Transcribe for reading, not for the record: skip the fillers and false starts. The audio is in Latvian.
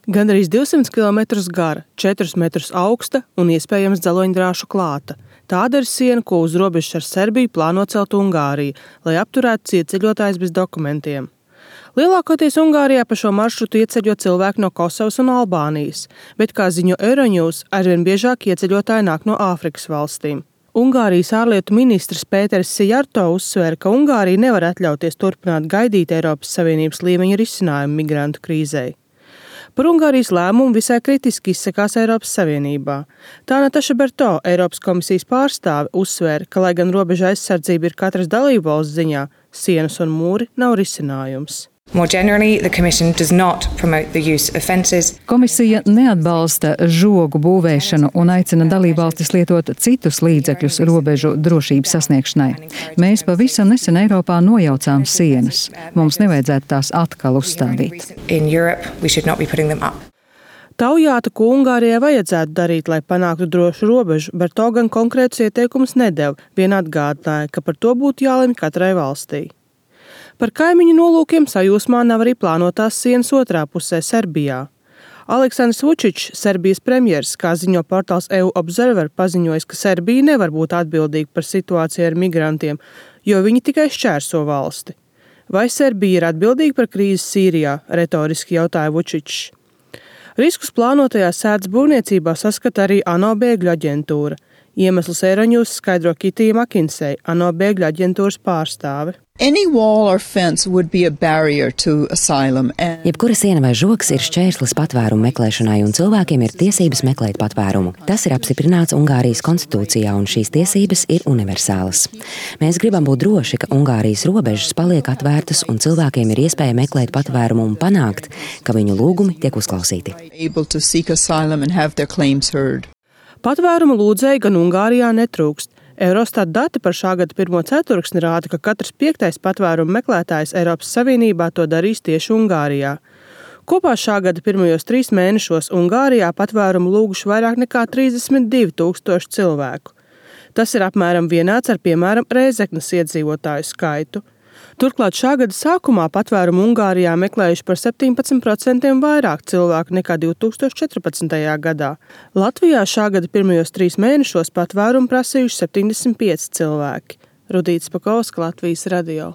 Gandrīz 200 km gara, 4 metrus augsta un iespējams dzeloņdrāšu klāta. Tāda ir siena, ko uz robežas ar Serbiju plāno celt Ungārija, lai apturētu ieceļotājus bez dokumentiem. Lielākoties Ungārijā pa šo maršrutu ieceļo cilvēki no Kosovas un Albānijas, bet, kā ziņo Euronews, arvien biežāk ieceļotāji nāk no Āfrikas valstīm. Ungārijas ārlietu ministrs Pēters Sijarto uzsvēra, ka Ungārija nevar atļauties turpināt gaidīt Eiropas Savienības līmeņa risinājumu migrantu krīzei. Par Ungārijas lēmumu visai kritiski izsakās Eiropas Savienībā. Tā Nataša Berto, Eiropas komisijas pārstāve, uzsvēra, ka, lai gan robeža aizsardzība ir katras dalībvalsts ziņā, sienas un mūri nav risinājums. More generally, the Commission does not promote the use of fences. Komisija neatbalsta žogu būvēšanu un aicina dalībvalstis lietot citus līdzekļus robežu drošības sasniegšanai. Mēs pavisam nesen Eiropā nojaucām sienas. Mums nevajadzētu tās atkal uzstādīt. In Europe, we should not be putting them up. Taujāta, ko Ungārijai vajadzētu darīt, lai panāktu drošu robežu, Berto gan konkrētus ieteikumus nedeva, vien atgādināja, ka par to būtu jālemj katrai valstī. Par kaimiņu nolūkiem sajūsmā nav arī plānotās sienas otrā pusē Serbijā. Aleksandrs Vučičs, Serbijas premjers, kā ziņo portāls EU Observer, paziņojis, ka Serbija nevar būt atbildīga par situāciju ar migrantiem, jo viņi tikai šķērso valsti. Vai Serbija ir atbildīga par krīzi Sīrijā, retoriski jautāja Vučičs. Riskus plānotajā sētas būvniecībā saskata arī ANO bēgļu aģentūra. Iemesls Euronews skaidro Kitija Makinsei, ANO bēgļu aģentūras pārstāve. Jebkura siena vai žogs ir šķērslis patvērumu meklēšanai, un cilvēkiem ir tiesības meklēt patvērumu. Tas ir apstiprināts Ungārijas konstitūcijā, un šīs tiesības ir universālas. Mēs gribam būt droši, ka Ungārijas robežas paliek atvērtas, un cilvēkiem ir iespēja meklēt patvērumu un panākt, ka viņu lūgumi tiek uzklausīti. Patvērumu lūdzēji gan Ungārijā netrūkst. Eurostat dati par šā gada pirmo ceturksni rāda, ka katrs 5. patvērumu meklētājs Eiropas Savienībā to darīs tieši Ungārijā. Kopā šā gada pirmajos 3 mēnešos Ungārijā patvērumu lūguši vairāk nekā 32 000 cilvēku. Tas ir apmēram vienāds ar, piemēram, Rēzeknes iedzīvotāju skaitu. Turklāt šā gada sākumā patvērumu Ungārijā meklējuši par 17% vairāk cilvēku nekā 2014. gadā. Latvijā šā gada pirmajos 3 mēnešos patvērumu prasījuši 75 cilvēki. Rudīta Spakovska, Latvijas radio.